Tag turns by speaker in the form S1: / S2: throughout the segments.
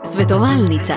S1: Svetovalnica.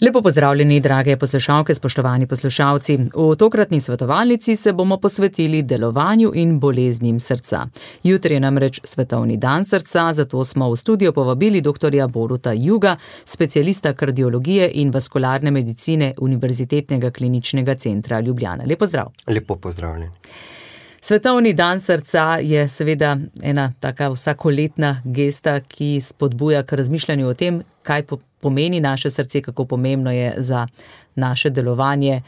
S1: Lepo pozdravljeni, drage poslušalke, spoštovani poslušalci. V tokratni svetovalnici se bomo posvetili delovanju in boleznim srca. Jutri je namreč Svetovni dan srca, zato smo v studio povabili dr. Boruta Juga, specialista kardiologije in vaskularne medicine Univerzitetnega kliničnega centra Ljubljana. Lep pozdrav.
S2: Lepo pozdravljeni.
S1: Svetovni dan srca je seveda ena taka vsakoletna gesta, ki spodbuja k razmišljanju o tem, kaj pomeni naše srce, kako pomembno je za naše delovanje.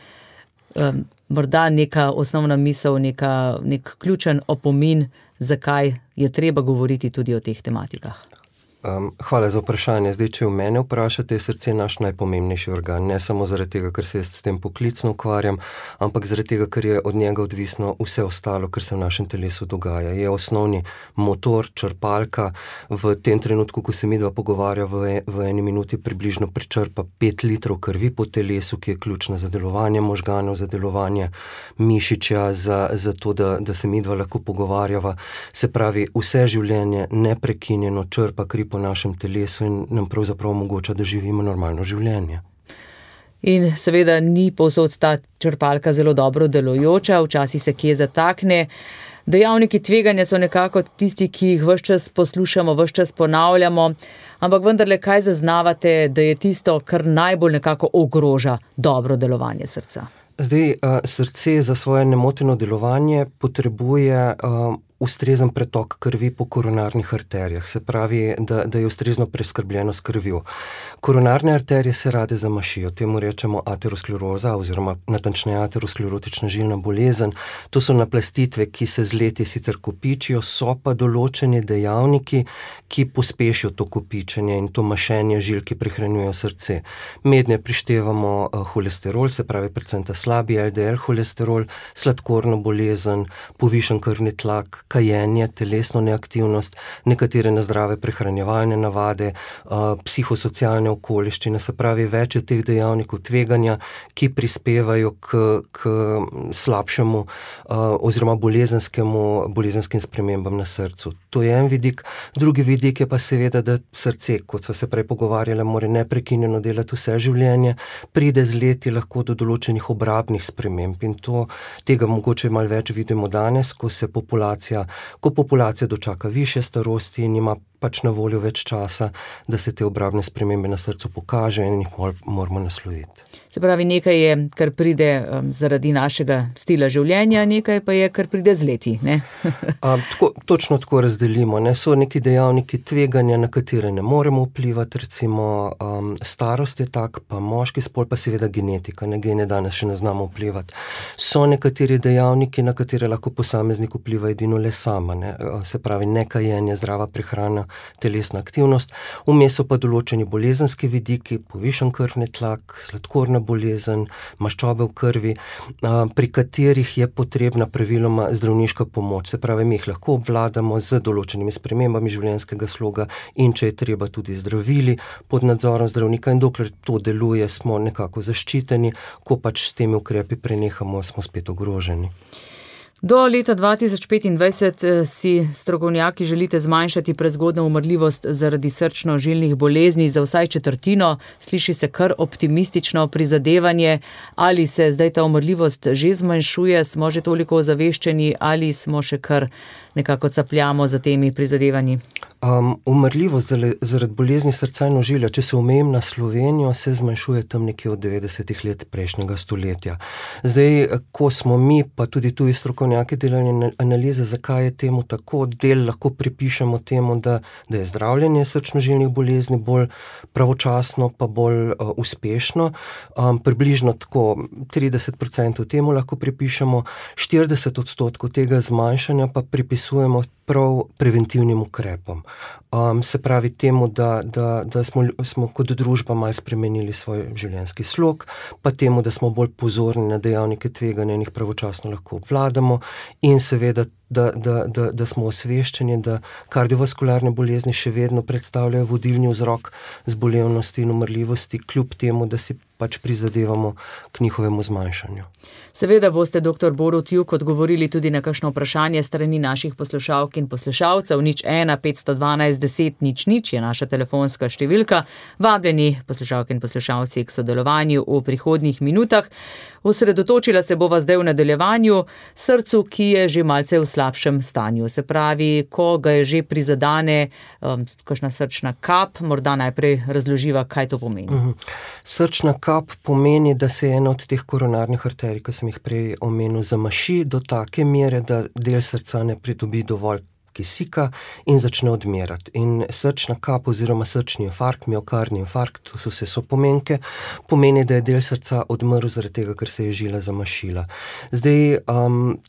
S1: Morda neka osnovna misel, nek ključen opomin, zakaj je treba govoriti tudi o teh tematikah.
S2: Hvala za vprašanje. Zdaj, če v mene vprašate, je srce naš najpomembnejši organ. Ne samo zaradi tega, ker se jaz s tem poklicno ukvarjam, ampak zaradi tega, ker je od njega odvisno vse ostalo, kar se v našem telesu dogaja. Je osnovni motor, črpalka. V tem trenutku, ko se midva pogovarja, v eni minuti približno prečrpa 5 litrov krvi po telesu, ki je ključna za delovanje možganov, za delovanje mišičja, za to, da se midva lahko pogovarjava. Se pravi, vse življenje neprekinjeno črpa kri po našem telesu in nam pravzaprav omogoča, da živimo normalno življenje.
S1: In seveda ni povsod ta črpalka zelo dobro delujoča, včasih se kje zatakne. Dejavniki tveganja so nekako tisti, ki jih ves čas poslušamo, ves čas ponavljamo, ampak vendarle kaj zaznavate, da je tisto, kar najbolj nekako ogroža dobro delovanje srca?
S2: Zdaj, srce za svoje nemoteno delovanje potrebuje ustrezen pretok krvi po koronarnih arterijah, se pravi, da je ustrezno preskrbljeno s krvjo. Koronarne arterije se rade zamašijo, temu rečemo ateroskleroza oziroma natančneje aterosklerotična žilna bolezen. To so naplastitve, ki se z leti sicer kopičijo, so pa določeni dejavniki, ki pospešijo to kopičenje in to mašenje žil, ki prehranjujejo srce. Mednje prištevamo holesterol, se pravi predvsem ta slabi LDL holesterol, sladkorno bolezen, povišen krvni tlak, kajenje, telesno neaktivnost, nekatere nezdrave prehranjevalne navade, psihosocialne okoliščine, se pravi več teh dejavnikov tveganja, ki prispevajo k slabšemu oziroma bolezenskim spremembam na srcu. To je en vidik. Drugi vidik je pa seveda, da srce, kot so se prej pogovarjali, mora neprekinjeno delati vse življenje, pride z leti lahko do določenih obrabnih sprememb in tega mogoče malo več vidimo danes, ko populacija dočaka višje starosti in ima pač na voljo več časa, da se te obrabne spremembe na srcu pokaže in jih moramo nasloviti.
S1: Se pravi, nekaj je, kar pride zaradi našega stila življenja, nekaj pa je, kar pride z leti, ne?
S2: Točno tako razdelimo, ne? So neki dejavniki tveganja, na katere ne moremo vplivati, recimo starost je tak, pa moški spol, pa seveda genetika, ne, gene danes še ne znamo vplivati. So nekateri dejavniki, na katere lahko posameznik vpliva edino le sama, ne? Se pravi, nekajenje, zdrava prehrana, telesna aktivnost, vmes so pa določeni bolezenski vidiki, povišen krvni tlak, sladkorna bolezen, maščobe v krvi, pri katerih je potrebna praviloma zdravniška pomoč. Se pravi, mi jih lahko obvladamo z določenimi spremembami življenjskega sloga in če je treba tudi zdravili pod nadzorom zdravnika in dokler to deluje, smo nekako zaščiteni, ko pač s temi ukrepi prenehamo, smo spet ogroženi.
S1: Do leta 2025 si strokovnjaki želite zmanjšati prezgodnjo umrljivost zaradi srčno-žilnih bolezni za vsaj četrtino. Sliši se kar optimistično prizadevanje. Ali se zdaj ta umrljivost že zmanjšuje, smo že toliko ozaveščeni ali smo še kar nekako capljamo za temi prizadevanji?
S2: Umrljivost zaradi bolezni srca in ožilja, če se omejim na Slovenijo, se zmanjšuje tam nekje od 90 let prejšnjega stoletja. Zdaj, ko smo mi, pa tudi tuji strokovnjaki delali analize, zakaj je temu tako, del lahko pripišemo temu, da je zdravljenje srčno-žilnih bolezni bolj pravočasno, pa bolj uspešno. Približno tako 30% temu lahko pripišemo, 40% tega zmanjšanja pa pripisujemo prav preventivnim ukrepom. Se pravi temu, da smo kot družba malo spremenili svoj življenjski slog, pa temu, da smo bolj pozorni na dejavnike tveganja in jih pravočasno lahko obvladamo in seveda da smo osveščeni, da kardiovaskularne bolezni še vedno predstavljajo vodilni vzrok zbolevnosti in umrljivosti, kljub temu, da si pač prizadevamo k njihovemu zmanjšanju.
S1: Seveda boste, dr. Borut Juk, odgovorili tudi na kakšno vprašanje strani naših poslušalk in poslušalcev. 01 512 10 00 je naša telefonska številka. Vabljeni poslušalke in poslušalci k sodelovanju v prihodnjih minutah. Osredotočila se bova zdaj v nadaljevanju srcu, ki je že malce v slabšem stanju. Se pravi, ko ga je že prizadane kakšna srčna kap, morda najprej razloživa, kaj to pomeni.
S2: Srčna kap pomeni, da se ena od teh koronarnih arterij, ki sem jih prej omenil, zamaši do take mere, da del srca ne pridobi dovolj kisika in začne odmerati. In srčna kap oziroma srčni infarkt, miokardni infarkt, to so vse sopomenke, pomeni, da je del srca odmrl zaradi tega, ker se je žila zamašila. Zdaj,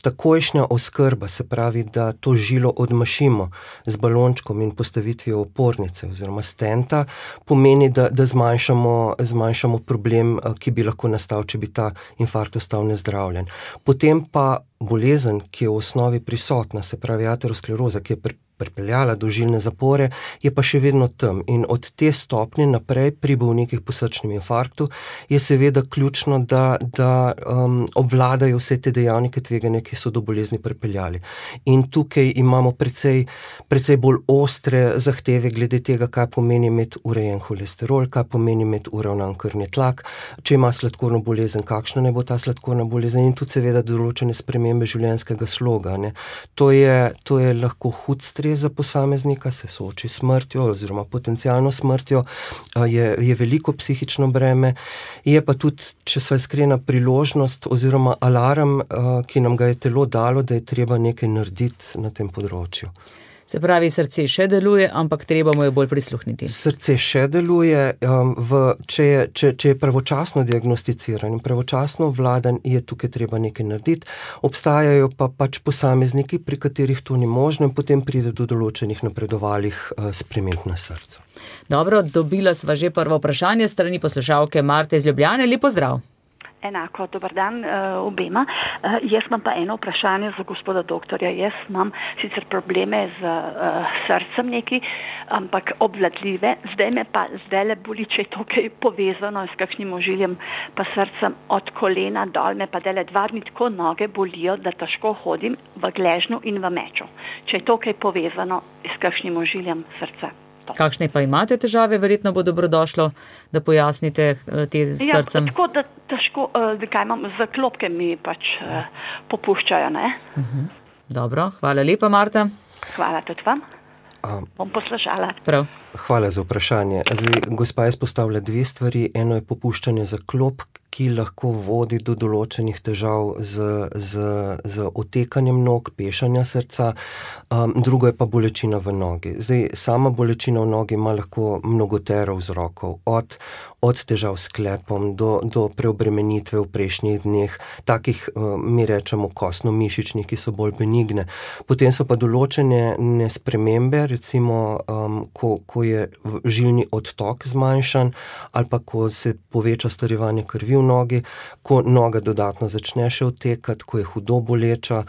S2: takojšnja oskrba, se pravi, da to žilo odmašimo z balončkom in postavitvijo opornice oziroma stenta, pomeni, da zmanjšamo problem, ki bi lahko nastal, če bi ta infarkt ostal nezdravljen. Potem pa bolezen, ki je v osnovi prisotna, se pravi ateroskleroza, ki je pripeljala do žilne zapore, je pa še vedno tam. In od te stopnje naprej pri bolnikih po srčnem infarktu je seveda ključno, da obvladajo vse te dejavnike tveganja, ki so do bolezni pripeljali. In tukaj imamo precej bolj ostre zahteve glede tega, kaj pomeni imeti urejen holesterol, kaj pomeni imeti uravnan krvni tlak, če ima sladkorno bolezen, kakšna ne bo ta sladkorna bolezen in tudi seveda določene spremembe življenjskega sloga. Ne. To je lahko hud stres za posameznika, se sooči s smrtjo oziroma potencialno smrtjo, je veliko psihično breme, je pa tudi, če sva iskrena, priložnost oziroma alarm, ki nam ga je telo dalo, da je treba nekaj narediti na tem področju.
S1: Se pravi, srce še deluje, ampak treba mu je bolj prisluhniti.
S2: Srce še deluje, če je pravočasno diagnosticiran in pravočasno obvladan, je tukaj treba nekaj narediti. Obstajajo pa pač posamezniki, pri katerih to ni možno in potem pride do določenih napredovalih sprememb na srcu.
S1: Dobro, dobila sva že prvo vprašanje strani poslušalke Marte iz Ljubljane. Lep pozdrav.
S3: Enako, dober dan obema. Jaz imam pa eno vprašanje za gospoda doktorja. Jaz imam sicer probleme z srcem neki, ampak obvladljive. Zdaj boli, če je to kaj povezano s kakšnim ožiljem, pa srcem od kolena dol, me pa dele 2 dni tako noge bolijo, da težko hodim v gležnju in v meču. Če je to kaj povezano s kakšnim ožiljem srca.
S1: Kakšne pa imate težave? Verjetno bo dobrodošlo, da pojasnite te srcem.
S3: Ja, tako da težko, kaj imam, zaklopke mi pač popuščajo, ne?
S1: Dobro, hvala lepa, Marta.
S3: Hvala tudi vam. Bom poslušala.
S1: Prav.
S2: Hvala za vprašanje. Zdaj, gospa je izpostavila 2 stvari. Eno je popuščanje zaklopk, ki lahko vodi do določenih težav z otekanjem nog, pešanja srca, drugo je pa bolečina v nogi. Zdaj, sama bolečina v nogi ima lahko mnogotero vzrokov, od težav s sklepom do preobremenitve v prejšnjih dneh, takih mi rečemo kostno-mišičnih, ki so bolj benigne. Potem so pa določene spremembe, recimo, ko je žilni odtok zmanjšan ali pa ko se poveča starevanje krvi v nogi, ko noga dodatno začne še odtekati, ko je hudo boleča.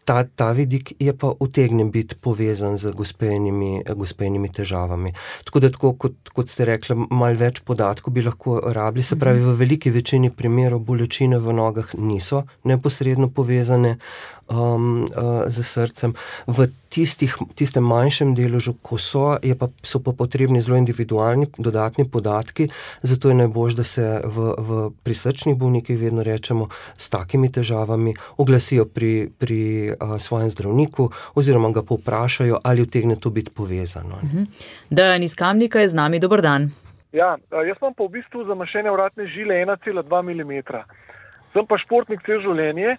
S2: Ta vidik je pa utegne biti povezan z gospejnimi težavami. Tako da, kot ste rekli, malo več podatkov bi lahko rabili, se pravi, v veliki večini primerov bolečine v nogah niso neposredno povezane z srcem. V tistem manjšem deležu, ko so pa potrebni zelo individualni dodatni podatki, zato je najboljše, da se pri srčnih bolnikih vedno rečemo s takimi težavami, oglasijo pri svojem zdravniku oziroma ga povprašajo, ali utegne to biti povezano.
S1: Dejan iz Kamnika je z nami, dober dan.
S4: Ja, jaz imam pa v bistvu zamašene vratne žile 1,2 mm. Sem pa športnik celo življenje,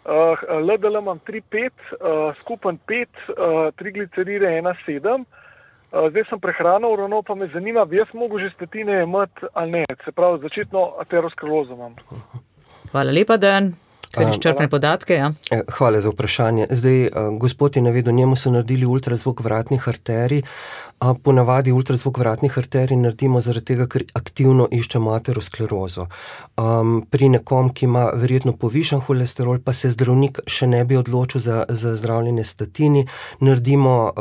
S4: LDL imam 3,5, skupen 5, trigliceride 1,7. Zdaj sem prehrano uravnal, pa me zanima, bi jaz mogel že statine imeti ali ne, se pravi začetno aterosklerozo imam.
S1: Hvala lepa, Dejan. Kar izčrpne podatke, ja.
S2: Hvala za vprašanje. Zdaj, gospod je navedel, njemu so naredili ultrazvok vratnih arterij. Ponavadi ultrazvok vratnih arterij naredimo zaradi tega, ker aktivno iščemo aterosklerozo. Pri nekom, ki ima verjetno povišan holesterol, pa se zdravnik še ne bi odločil za zdravljenje statini, naredimo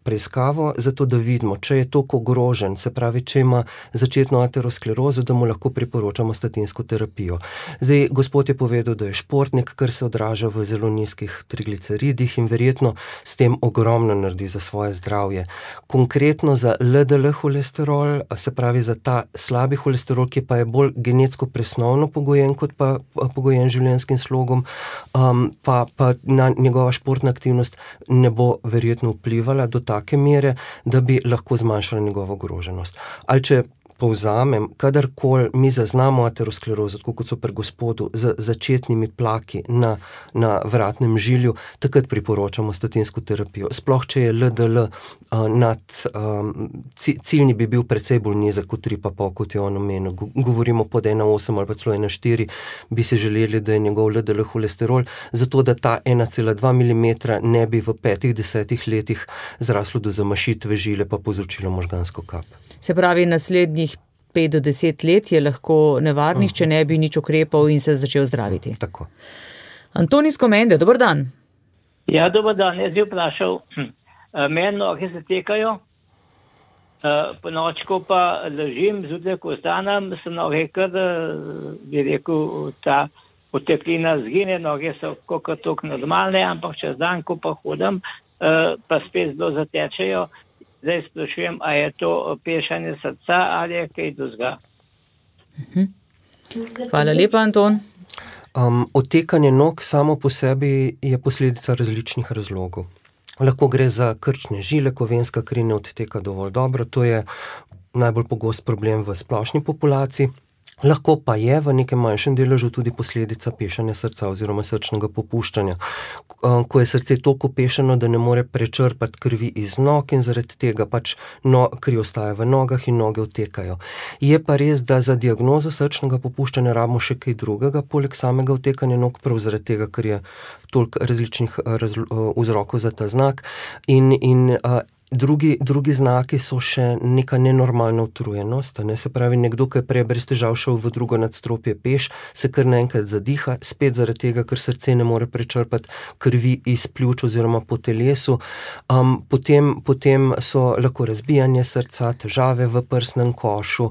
S2: preiskavo, zato da vidimo, če je toliko ogrožen, se pravi, če ima začetno aterosklerozo, da mu lahko priporočamo statinsko terapijo. Zdaj, gospod je povedal, da je športnik, kar se odraža v zelo nizkih trigliceridih in verjetno s tem ogromno naredi za svoje zdravje. Konkretno za LDL holesterol, se pravi za ta slabi holesterol, ki pa je bolj genetsko presnovno pogojen, kot pa pogojen življenjskim slogom, pa na njegova športna aktivnost ne bo verjetno vplivala do take mere, da bi lahko zmanjšala njegovo ogroženost. Ali če povzamem, kadarkoli mi zaznamo aterosklerozo, tako kot so pri gospodu, z začetnimi plaki na vratnem žilju, takrat priporočamo statinsko terapijo. Sploh, če je LDL ciljni bi bil precej bolj nizek kot 3,5, kot je on omenil. Govorimo pod 1,8 ali pa celo 1,4, bi se želeli, da je njegov LDL holesterol, zato da ta 1,2 mm ne bi v 5-10 letih zraslo do zamašitve žile pa povzročilo možgansko kap.
S1: Se pravi, naslednjih 5 do 10 let je lahko nevarnih, če ne bi nič ukrepal in se začel zdraviti.
S2: Tako.
S1: Anton iz Komende, dober dan.
S5: Ja, dober dan, jaz bi vprašal, meni noge se tekajo, po nočku pa ležim, zjutraj, ko vstanem, se noge kar, bi rekel, ta oteklina zgine, noge so koliko normalne, ampak čez dan, ko pa hodim, pa spet zelo zatečejo. Zdaj sprašujem, a je to pešanje srca ali je kaj drugega?
S1: Hvala lepa, Anton.
S2: Otekanje nog samo po sebi je posledica različnih razlogov. Lahko gre za krčne žile, ko venska kri ne odteka dovolj dobro, to je najbolj pogost problem v splošni populaciji. Lahko pa je v nekem manjšem deležu tudi posledica pešanja srca oziroma srčnega popuščanja. Ko je srce toliko pešeno, da ne more prečrpati krvi iz nog in zaradi tega pač kri ostaja v nogah in noge odtekajo. Je pa res, da za diagnozo srčnega popuščanja rabimo še kaj drugega, poleg samega odtekanja nog, prav zaradi tega, ker je toliko različnih vzrokov za ta znak in Drugi znaki so še neka nenormalna utrujenost, se pravi, nekdo, ki je prej brez težav šel v drugo nadstropje peš, se kar naenkrat zadiha, spet zaradi tega, ker srce ne more prečrpati krvi iz pljuč oziroma po telesu. Potem so lahko razbijanje srca, težave v prsnem košu,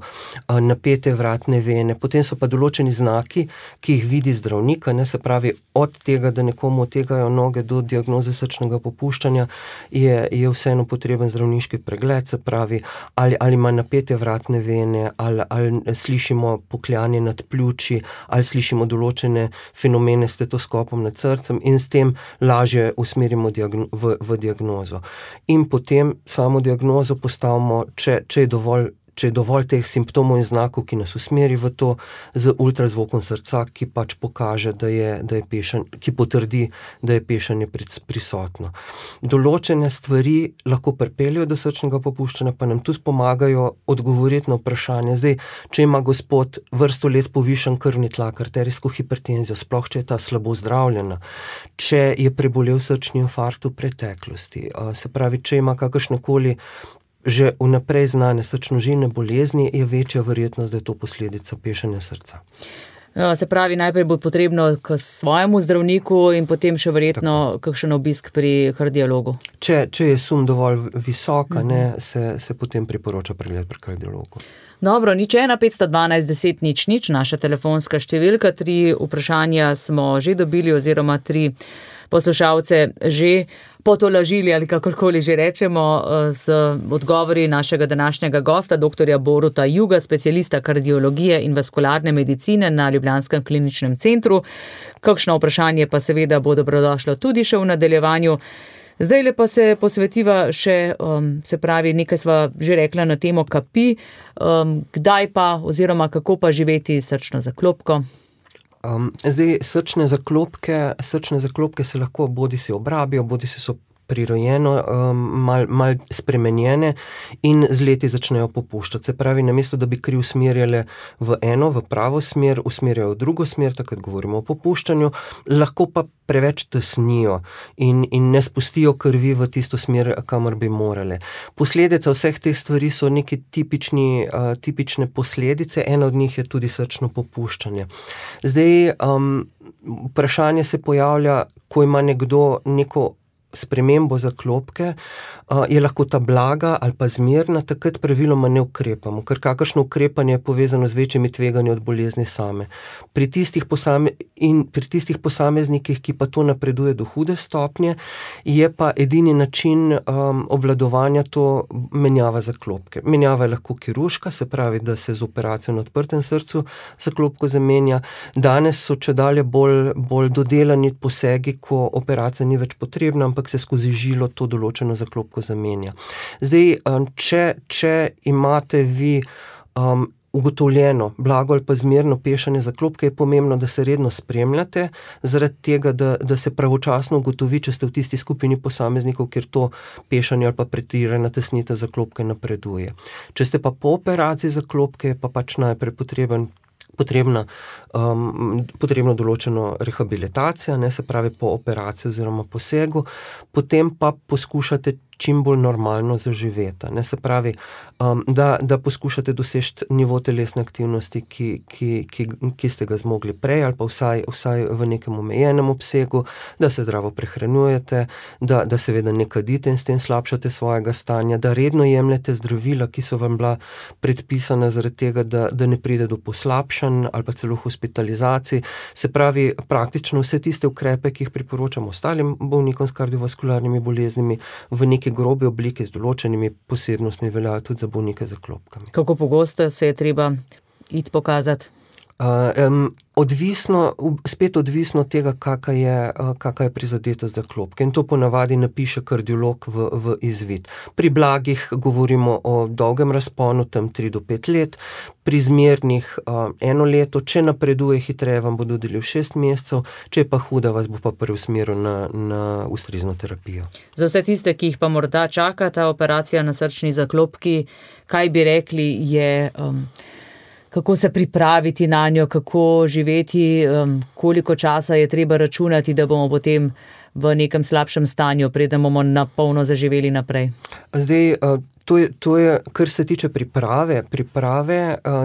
S2: napete vratne vene, potem so pa določeni znaki, ki jih vidi zdravnik, se pravi, od tega, da nekomu odtekajo noge do diagnoze srčnega popuščanja, je vseeno potreben zdravniški pregled, se pravi, ali ima napete vratne vene, ali slišimo pokljanje nad pljuči, ali slišimo določene fenomene s stetoskopom nad srcem in s tem lažje usmerimo v diagnozo. In potem samo diagnozo postavimo, če je dovolj teh simptomov in znakov, ki nas usmeri v to, z ultrazvokom srca, ki pač pokaže, da je pešanje, ki potrdi, da je pešanje prisotno. Določene stvari lahko pripeljejo do srčnega popuščanja, pa nam tudi pomagajo odgovoriti na vprašanje. Zdaj, če ima gospod vrsto let povišan krvni tlak, arterijsko hipertenzijo, sploh če je ta slabo zdravljena, če je prebolel srčni infarkt v preteklosti, se pravi, če ima kakršnekoli že vnaprej znane srčno-žilne bolezni, je večja verjetnost, da je to posledica pešanja srca.
S1: Se pravi, najprej bo potrebno k svojemu zdravniku in potem še verjetno kakšen obisk pri kardiologu.
S2: Če je sum dovolj visoka, se potem priporoča pregled pri kardiologu.
S1: Dobro, 01512 10 00, naša telefonska številka, 3 vprašanja smo že dobili oziroma 3 poslušalce že potolažili ali kakorkoli že rečemo z odgovori našega današnjega gosta, doktorja Boruta Juga, specialista kardiologije in vaskularne medicine na Ljubljanskem kliničnem centru. Kakšno vprašanje pa seveda bo dobrodošlo tudi še v nadaljevanju. Zdaj pa se posvetiva še, se pravi, nekaj sva že rekla na temo kapi, kdaj pa oziroma kako pa živeti srčno zaklopko?
S2: Zdaj, srčne zaklopke se lahko bodisi obrabijo, bodisi so prirojeno, mal spremenjene in z leti začnejo popuščati. Se pravi, namesto da bi kri usmerjale v pravo smer, usmerjajo v drugo smer, takrat govorimo o popuščanju, lahko pa preveč tesnijo in ne spustijo krvi v tisto smer, kamor bi morale. Posledica vseh teh stvari so neke tipične posledice, ena od njih je tudi srčno popuščanje. Zdaj, vprašanje se pojavlja, ko ima nekdo neko spremembo zaklopke, je lahko ta blaga ali pa zmerna, takrat praviloma ne ukrepamo, ker kakršno ukrepanje je povezano z večjimi tveganji od bolezni same. Pri tistih posameznikih, ki pa to napreduje do hude stopnje, je pa edini način obvladovanja to menjava zaklopke. Menjava je lahko kirurška, se pravi, da se z operacijo na odprtem srcu zaklopko zamenja. Danes so čedalje bolj dodelani posegi, ko operacija ni več potrebna, ampak se skozi žilo to določeno zaklopko zamenja. Zdaj, če imate vi ugotovljeno blago ali pa zmerno pešanje zaklopke, je pomembno, da se redno spremljate, zaradi tega, da se pravočasno ugotovi, če ste v tisti skupini posameznikov, kjer to pešanje ali pa pretirana tesnitev zaklopke napreduje. Če ste pa po operaciji zaklopke, je pa pač najprej potrebno določeno rehabilitacija, se pravi po operaciji oziroma posegu, potem pa poskušate čim bolj normalno zaživeti. Se pravi, da poskušate doseči nivo telesne aktivnosti, ki ste ga zmogli prej, ali pa vsaj v nekem omejenem obsegu, da se zdravo prehranjujete, da seveda ne kadite in s tem slabšate svojega stanja, da redno jemljete zdravila, ki so vam bila predpisana zaradi tega, da ne pride do poslabšanj ali pa celo hospitalizacij. Se pravi, praktično vse tiste ukrepe, ki jih priporočamo ostalim bolnikom s kardiovaskularnimi boleznimi, v neki grobe oblike z določenimi posebnostmi veljajo tudi za bolnike z zaklopkami.
S1: Kako pogosto se je treba iti pokazati? Spet odvisno od tega, kakšna je prizadetost zaklopke. In to ponavadi napiše kardiolog v izvid. Pri blagih govorimo o dolgem razponu, tam 3 do 5 let, pri zmernih 1 leto, če napreduje hitreje, vam bo dodelil 6 mesecev, če je pa huda, vas bo pa preusmeril na ustrezno terapijo. Za vse tiste, ki jih pa morda čaka ta operacija na srčni zaklopki, kaj bi rekli je... Kako se pripraviti na njo, kako živeti, koliko časa je treba računati, da bomo potem v nekem slabšem stanju, preden bomo na polno zaživeli naprej?
S2: Zdaj, to je, kar se tiče priprave,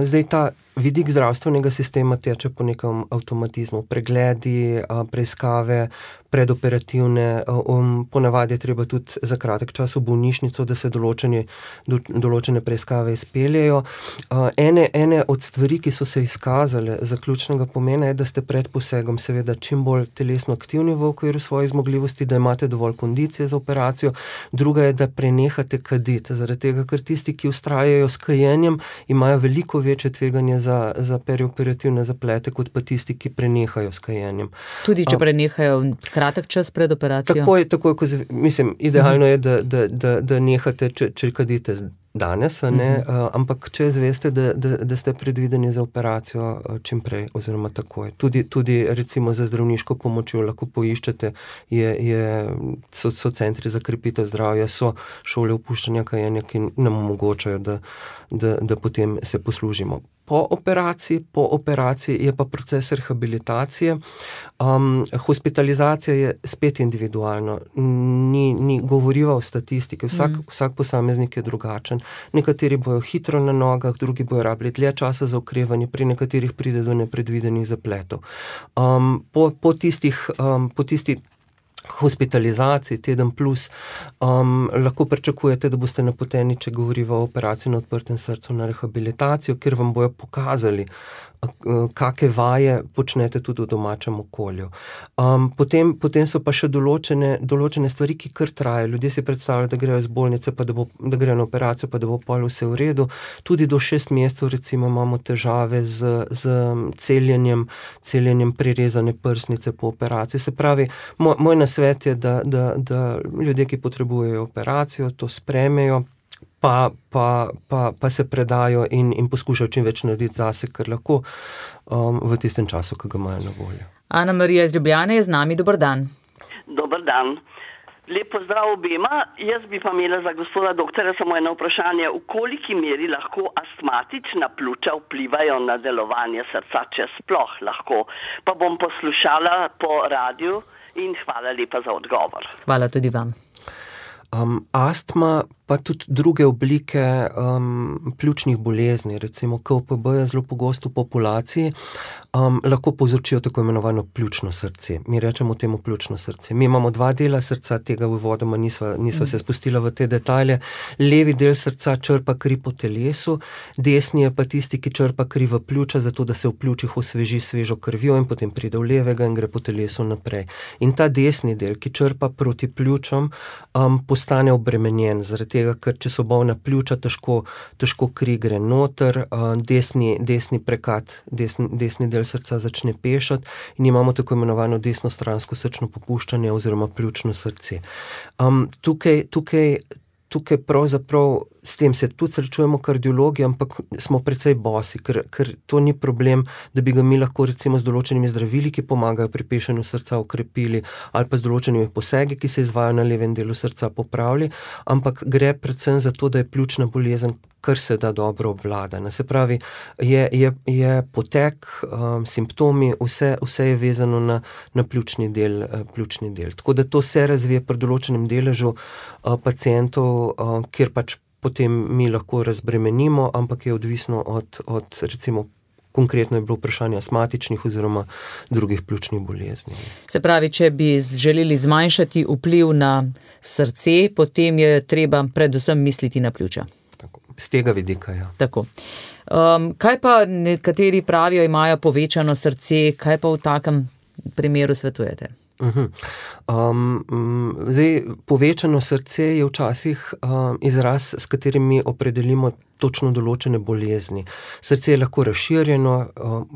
S2: zdaj ta vidik zdravstvenega sistema teče po nekem avtomatizmu, pregledi, preiskave, predoperativne, ponavadi je treba tudi za kratek čas v bolnišnico, da se določene preiskave izpeljejo. Ene od stvari, ki so se izkazale za ključnega pomena, je, da ste pred posegom seveda čim bolj telesno aktivni v okviru svojih zmogljivosti, da imate dovolj kondicije za operacijo. Druga je, da prenehate kaditi, zaradi tega, ker tisti, ki vztrajajo s kajenjem, imajo veliko večje tveganje za perioperativne zaplete, kot pa tisti, ki prenehajo s kajenjem.
S1: Tudi če prenehajo kratek čas pred operacijo?
S2: Takoj, mislim, idealno je, da nehate, če kadite danes, ampak če zveste, da ste predvideni za operacijo čim prej, oziroma takoj. Tudi recimo za zdravniško pomočjo lahko poiščete, so centri za krepitev zdravja, so šole opuščanja kajenja, ki nam omogočajo, da potem se poslužimo. Po operaciji je pa proces rehabilitacije. Hospitalizacija je spet individualno, ni govoriva o statistiki, vsak posameznik je drugačen. Nekateri bojo hitro na nogah, drugi bojo rabili dlje časa za okrevanje, pri nekaterih pride do nepredvidenih zapletov. Po tisti hospitalizaciji, teden plus, lahko pričakujete, da boste napoteni, če govoriva o operaciji na odprtem srcu, na rehabilitacijo, kjer vam bojo pokazali, kakšne vaje počnete tudi v domačem okolju. Potem so pa še določene stvari, ki kar trajajo. Ljudje si predstavljajo, da grejo iz bolnice, pa da grejo na operacijo, pa da bo pol vse v redu. Tudi do 6 mesecev recimo imamo težave z celjenjem prerezane prsnice po operaciji. Se pravi, moj nasvet je, da ljudje, ki potrebujejo operacijo, to sprejmejo, pa se predajo in poskušajo čim več narediti zase, kar lahko v tistem času, ki ga imajo na voljo.
S1: Ana Marija iz Ljubljane je z nami, dober dan.
S6: Dober dan. Lep pozdrav obema. Jaz bi pa imela za gospoda doktorja samo eno vprašanje. V koliki meri lahko astmatična pljuča vplivajo na delovanje srca, če sploh lahko? Pa bom poslušala po radiju in hvala lepa za odgovor.
S1: Hvala tudi vam.
S2: Astma pa tudi druge oblike pljučnih bolezni, recimo KOPB je zelo pogosto v populaciji, lahko povzročijo tako imenovano pljučno srce. Mi rečemo temu pljučno srce. Mi imamo dva dela srca, tega uvodoma nisva se spustila v te detalje. Levi del srca črpa kri po telesu, desni je pa tisti, ki črpa kri v pljuča, zato da se v pljučih osveži svežo krvjo in potem pride v levega in gre po telesu naprej. In ta desni del, ki črpa proti pljučom, postane obremenjen, zaradi tega, ker če so bolna pljuča, težko kri gre noter, desni prekat, desni del srca začne pešati in imamo tako imenovano desnostransko srčno popuščanje oziroma pljučno srce. Tukaj pravzaprav s tem se tudi srečujemo kardiologi, ampak smo precej bosi, ker to ni problem, da bi ga mi lahko recimo z določenimi zdravili, ki pomagajo pri pešanju srca, ukrepili, ali pa z določenimi posegi, ki se izvajajo na levem delu srca, popravili, ampak gre predvsem za to, da je pljučna bolezen kar se da dobro obvladana. Se pravi, je potek, simptomi, vse je vezano na pljučni del. Tako da to se razvije pri določenem deležu pacientov, kjer pač potem mi lahko razbremenimo, ampak je odvisno od recimo, konkretno je bilo vprašanje astmatičnih oziroma drugih pljučnih bolezni.
S1: Se pravi, če bi želeli zmanjšati vpliv na srce, potem je treba predvsem misliti na pljuča.
S2: Tako, z tega vidika, ja.
S1: Tako. Kaj pa nekateri pravijo, imajo povečano srce, kaj pa v takem primeru svetujete?
S2: Zdaj, povečano srce je včasih izraz, s katerim mi opredelimo točno določene bolezni. Srce je lahko razširjeno,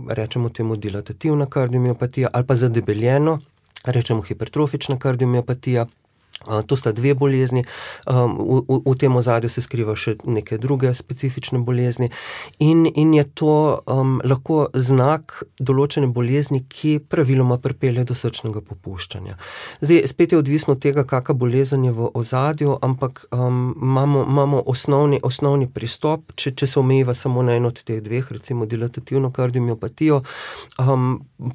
S2: rečemo temu dilatativna kardiomiopatija, ali pa zadebeljeno, rečemo hipertrofična kardiomiopatija. To sta dve bolezni, v tem ozadju se skriva še neke druge specifične bolezni in je to lahko znak določene bolezni, ki praviloma pripelje do srčnega popuščanja. Zdaj, spet je odvisno od tega, kakšna bolezen je v ozadju, ampak imamo osnovni pristop, če se omejiva samo na eno od teh dveh, recimo dilatativno kardiomiopatijo,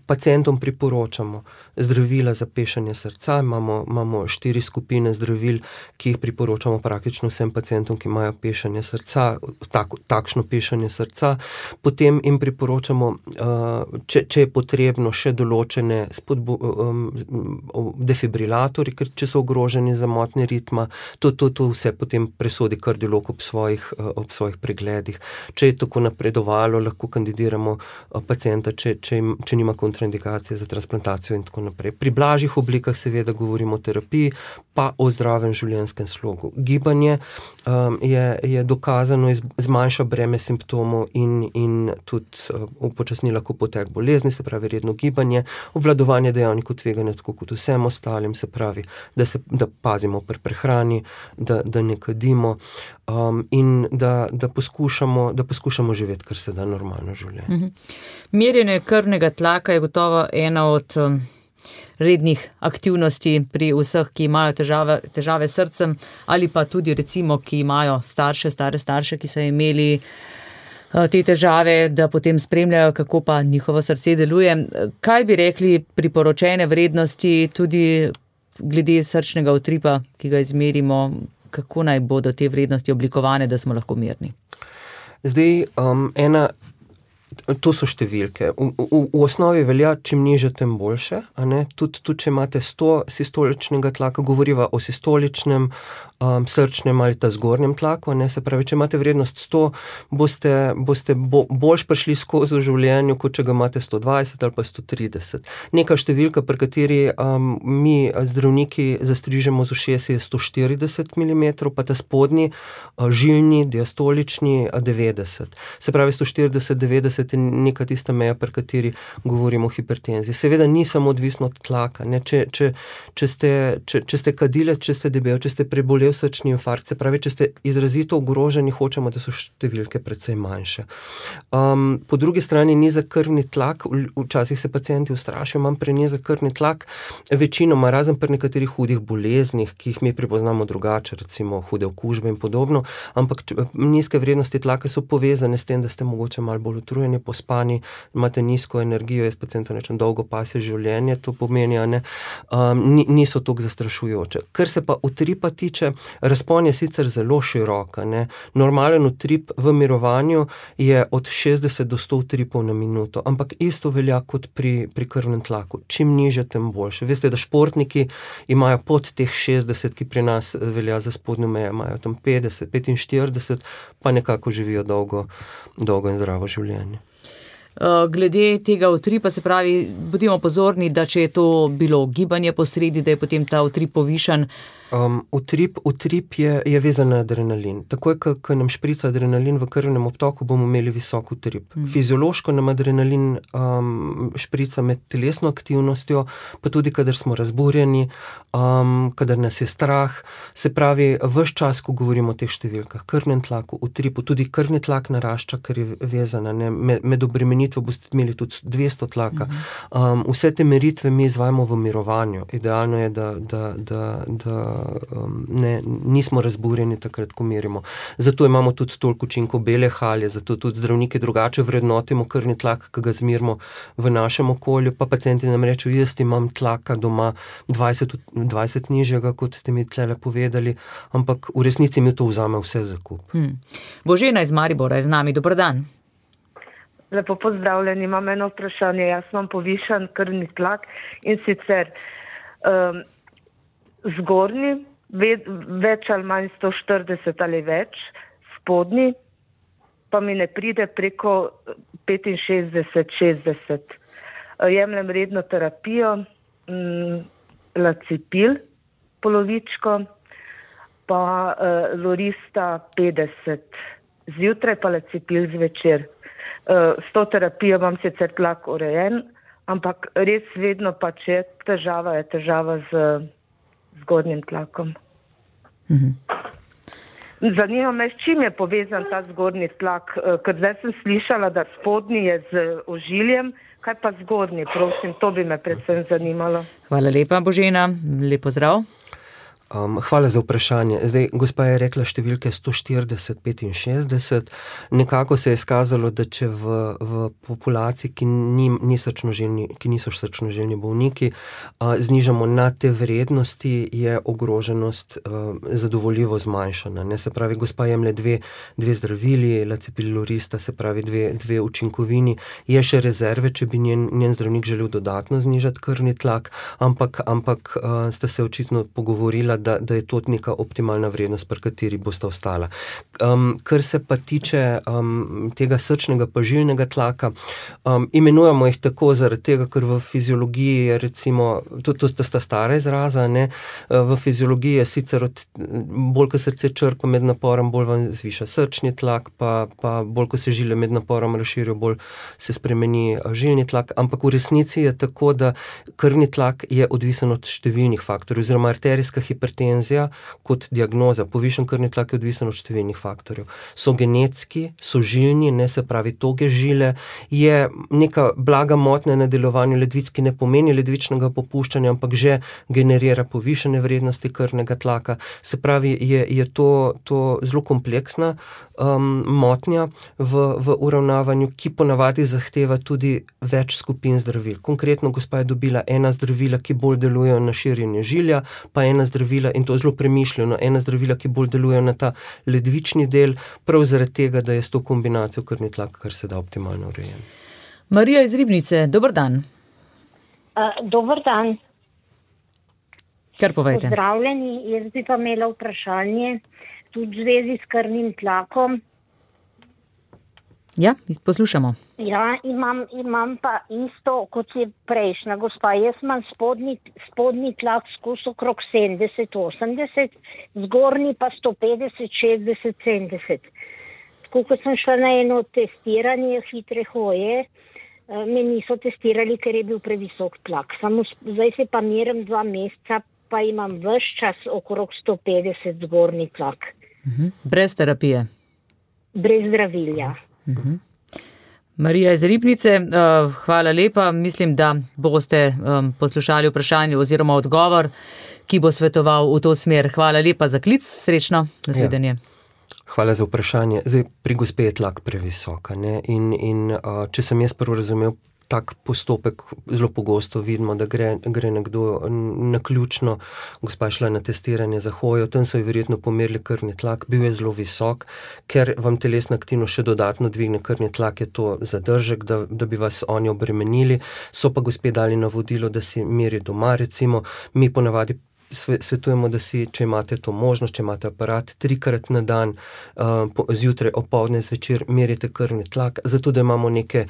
S2: pacientom priporočamo zdravila za pešanje srca, imamo 4 skupine zdravil, ki jih priporočamo praktično vsem pacientom, ki imajo pešanje srca, takšno pešanje srca. Potem jim priporočamo, če je potrebno, še določene defibrilatorji, ker če so ogroženi za motnje ritma, to vse potem presodi kardiolog ob svojih pregledih. Če je tako napredovalo, lahko kandidiramo pacienta, če nima kontraindikacije za transplantacijo in tako naprej. Pri blažjih oblikah seveda govorimo o terapiji, pa o zdravem življenjskem slogu. Gibanje je dokazano zmanjša breme simptomov in tudi upočasni lahko potek bolezni, se pravi redno gibanje, obvladovanje dejavnikov tveganja, tako kot vsem ostalim, se pravi, da pazimo pri prehrani, da ne kadimo in da poskušamo živeti, kar se da normalno življenje.
S1: Merjenje krvnega tlaka je gotovo ena od rednih aktivnosti pri vseh, ki imajo težave s srcem ali pa tudi recimo, ki imajo stare starše, ki so imeli te težave, da potem spremljajo, kako pa njihovo srce deluje. Kaj bi rekli priporočene vrednosti tudi glede srčnega utripa, ki ga izmerimo, kako naj bodo te vrednosti oblikovane, da smo lahko mirni?
S2: Zdaj, to so številke. V osnovi velja, čim nižje, tem boljše. Tudi če imate 100 sistoličnega tlaka, govoriva o sistoličnem, srčnem ali ta zgornjem tlaku. Se pravi, če imate vrednost 100, boste boljš prišli skozi v življenju, kot če ga imate 120 ali pa 130. Neka številka, pri kateri mi zdravniki zastrižemo z ušesi, je 140 mm, pa ta spodnji, žilni, diastolični, 90. Se pravi, 140-90 veste, neka tista meja, pri kateri govorimo o hipertenziji. Seveda ni samo odvisno od tlaka, ne? Če ste kadile, če ste debel, če ste prebolel srčni infarkt, se pravi, če ste izrazito ogroženi, hočemo, da so številke precej manjše. Po drugi strani nizek krvni tlak, včasih se pacienti ustrašijo, imam prenizek krvni tlak, večinoma, razen pri nekaterih hudih boleznih, ki jih mi prepoznamo drugače, recimo hude okužbe in podobno, ampak nizke vrednosti tlaka so povezane s tem, da ste mogoče malo bolj utrujeni, pospani, imate nizko energijo, jaz pacientom rečem dolgo pasje življenje, to pomeni, niso toliko zastrašujoče. Kar se pa utripa tiče, razpon je sicer zelo široka, ne. Normalen utrip v mirovanju je od 60 do 100 utripov na minuto, ampak isto velja kot pri krvnem tlaku. Čim nižje, tem boljše. Veste, da športniki imajo pod teh 60, ki pri nas velja za spodnjo mejo, imajo tam 50, 45, pa nekako živijo dolgo in zdravo življenje.
S1: Glede tega utripa, se pravi, bodimo pozorni, da če je to bilo gibanje posredi, da je potem ta utrip povišan.
S2: Utrip je vezan na adrenalin. Takoj, ko nam šprica adrenalin v krvnem obtoku, bomo imeli visok utrip. Fiziološko nam adrenalin šprica med telesno aktivnostjo, pa tudi, kadar smo razburjeni, kadar nas je strah. Se pravi, ves čas, ko govorimo o teh številkah, krvnem tlaku, utripu, tudi krvni tlak narašča, ker je vezana. Med obremenitvo boste imeli tudi 200 tlaka. Vse te meritve mi izvajamo v mirovanju. Idealno je, da nismo razburjeni takrat, ko merimo. Zato imamo tudi toliko učinkov bele halje, zato tudi zdravniki drugače vrednotimo krvni tlak, ki ga zmerimo v našem okolju, pa pacienti nam rečejo, jaz imam tlaka doma 20 nižjega, kot ste mi tlele povedali, ampak v resnici mi to vzame vse v zakup.
S1: Božena iz Maribora je z nami, dober dan.
S7: Lepo pozdravljeni, imam eno vprašanje, jaz imam povišan krvni tlak in sicer zgornji, več ali manj 140 ali več, spodnji pa mi ne pride preko 65-60. Jemljem redno terapijo, lacipil polovičko, pa lorista 50. Zjutraj pa lacipil zvečer. S to terapijo imam sicer tlak urejen, ampak res vedno pač je težava z zgornjim tlakom. Zanima me, s čim je povezan ta zgornji tlak, ker zdaj sem slišala, da spodnji je z ožiljem, kaj pa zgornji, prosim, to bi me predvsem zanimalo.
S1: Hvala lepa, Božena, lep pozdrav.
S2: Hvala za vprašanje. Zdaj, gospa je rekla številke 140-65. Nekako se je izkazalo, da če v populaciji, ki niso srčnoželjni bolniki, znižamo na te vrednosti, je ogroženost zadovoljivo zmanjšana. Ne? Se pravi, gospa jemlje dve zdravili, lacipil lorista, se pravi dve učinkovini. Je še rezerve, če bi njen zdravnik želel dodatno znižati krvni tlak, ampak sta se očitno pogovorila, da je to neka optimalna vrednost, pri kateri bosta ostala. Kar se pa tiče tega srčnega pa žilnega tlaka, imenujemo jih tako zaradi tega, ker v fiziologiji je recimo, to sta stara izraza, ne? V fiziologiji je sicer bolj, ko srce črpa med naporom, bolj vam zviša srčni tlak, pa bolj, ko se žile med naporom razširijo, bolj se spremeni žilni tlak, ampak v resnici je tako, da krvni tlak je odvisen od številnih faktorjev, oziroma arterijska hipertenzija kot diagnoza, povišen krvni tlak je odvisen od številnih faktorjev. So genetski, so žilni, ne, se pravi toge žile, je neka blaga motnja na delovanju ledvic, ki ne pomeni ledvičnega popuščanja, ampak že generira povišene vrednosti krvnega tlaka. Se pravi, je to zelo kompleksna motnja v uravnavanju, ki ponavadi zahteva tudi več skupin zdravil. Konkretno gospa je dobila ena zdravila, ki bolj delujejo na širjenje žilja, pa ena zdravila, in to zelo premišljeno, ena zdravila, ki bolj delujejo na ta ledvični del, prav zaradi tega, da je s to kombinacijo krvni tlak kar se da optimalno urejen.
S1: Marija iz Ribnice, dober dan.
S8: Dober dan.
S1: Kar povejte.
S8: Pozdravljeni, jaz bi pa imela vprašanje tudi v zvezi s krvnim tlakom.
S1: Ja, poslušamo.
S8: Ja, imam pa isto, kot je prejšnja gospa. Jaz imam spodnji tlak skus okrog 70-80, zgornji pa 150-60-70. ko sem šla na eno testiranje hitre hoje, me niso testirali, ker je bil previsok tlak. Samo zdaj se pa merim 2 meseca, pa imam ves čas okrog 150 zgornji tlak.
S1: Brez terapije?
S8: Brez zdravilja.
S1: Marija iz Ribnice, hvala lepa. Mislim, da boste poslušali vprašanje oziroma odgovor, ki bo svetoval v to smer. Hvala lepa za klic, srečno, nasvidenje.
S2: Hvala za vprašanje. Zdaj, pri gospe je tlak previsoka, ne? In če sem jaz prvo razumel, tak postopek zelo pogosto vidimo, da gre nekdo naključno, gospa je šla na testiranje za hojo, tam so ji verjetno pomerili krvni tlak, bil je zelo visok, ker vam telesna aktivnost še dodatno dvigne krvni tlak, je to zadržek, da bi vas oni obremenili, so pa gospe dali navodilo, da si meri doma, recimo, mi ponavadi svetujemo, da si, če imate to možnost, če imate aparat, 3-krat na dan, zjutraj, opoldne, zvečer, merite krvni tlak, zato da imamo neke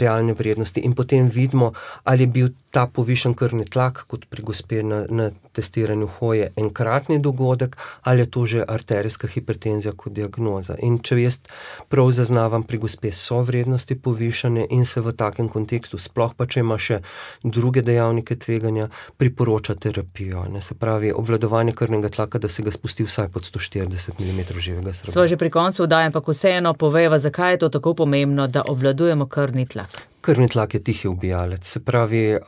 S2: realne vrednosti in potem vidimo, ali je bil ta povišen krvni tlak, kot pri gospe na testiranju hoje, enkratni dogodek, ali je to že arterijska hipertenzija kot diagnoza. In če jaz prav zaznavam, pri gospe so vrednosti povišane in se v takem kontekstu, sploh pa če ima še druge dejavnike tveganja, priporoča terapijo. Se pravi, obvladovanje krvnega tlaka, da se ga spusti vsaj pod 140 mm živega srebra.
S1: Sva že pri koncu vdaje, ampak vseeno povejva, zakaj je to tako pomembno, da obvladujemo krvni tlak.
S2: Krvni tlak je tihi ubijalec, se pravi,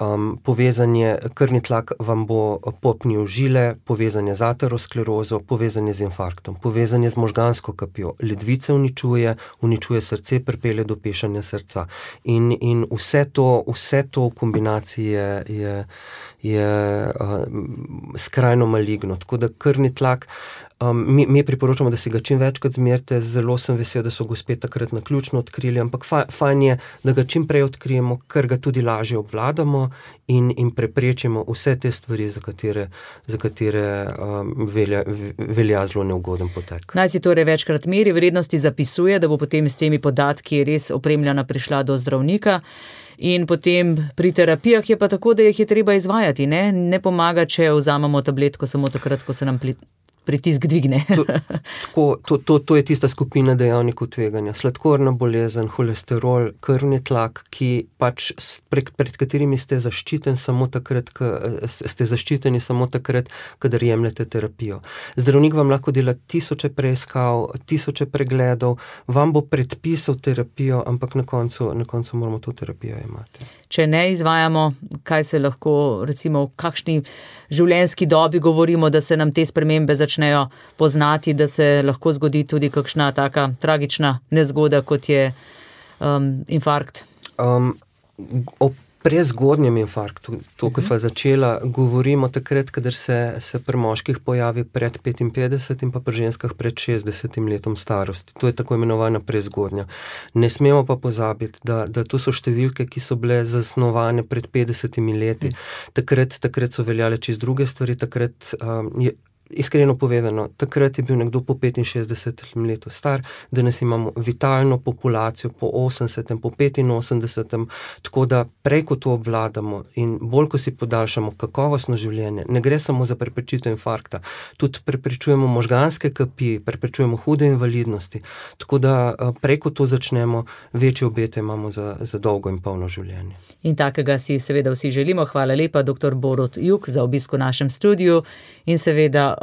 S2: krvni tlak vam bo popnil žile, povezanje z aterosklerozo, povezanje z infarktom, povezanje z možgansko kapjo, ledvice uničuje srce, pripelje do pešanja srca. In vse to v kombinaciji je skrajno maligno, tako da krvni tlak, mi priporočamo, da si ga čim večkrat zmerite, zelo sem vesel, da so gospe takrat naključno odkrili, ampak fajn je, da ga čim prej odkrijemo, ker ga tudi lažje obvladamo in preprečimo vse te stvari, za katere velja zelo neugoden potek.
S1: Naj si torej večkrat meri, vrednosti zapisuje, da bo potem s temi podatki res opremljena prišla do zdravnika. In potem pri terapijah je pa tako, da jih je treba izvajati, ne? Ne pomaga, če vzamemo tabletko samo takrat, ko se nam pritisk dvigne.
S2: To je tista skupina dejavnikov tveganja. Sladkorna bolezen, holesterol, krvni tlak, ki pač pred katerimi ste zaščiteni samo takrat, kadar jemljete terapijo. Zdravnik vam lahko dela 1000 preiskav, 1000 pregledov, vam bo predpisal terapijo, ampak na koncu moramo to terapijo imati.
S1: Če ne izvajamo, kaj se lahko, recimo v kakšni življenjski dobi govorimo, da se nam te spremembe začnejo poznati, da se lahko zgodi tudi kakšna taka tragična nezgoda, kot je infarkt?
S2: O prezgodnjem infarktu, to, ko sva začela, govorimo takrat, kadar se pri moških pojavi pred 55 in pa pri ženskah pred 60 letom starosti. To je tako imenovana prezgodnja. Ne smemo pa pozabiti, da to so številke, ki so bile zasnovane pred 50 leti. Takrat so veljale čist druge stvari, takrat iskreno povedano, takrat je bil nekdo po 65 letu star, danes imamo vitalno populacijo po 80, po 85, tako da prej, ko to obvladamo in bolj, ko si podaljšamo kakovostno življenje, ne gre samo za preprečitev infarkta, tudi preprečujemo možganske kapi, preprečujemo hude invalidnosti, tako da prej, ko to začnemo, večje obete imamo za dolgo in polno življenje.
S1: In takega si seveda vsi želimo. Hvala lepa, dr. Borut Juk, za obisk v našem studiu in seveda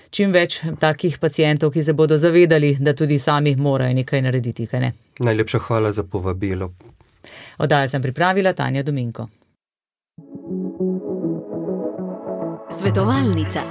S1: čim več takih pacientov, ki se bodo zavedali, da tudi sami morajo nekaj narediti, kaj ne?
S2: Najlepša hvala za povabilo.
S1: Oddajo sem pripravila Tanja Dominko.
S9: Svetovalnica.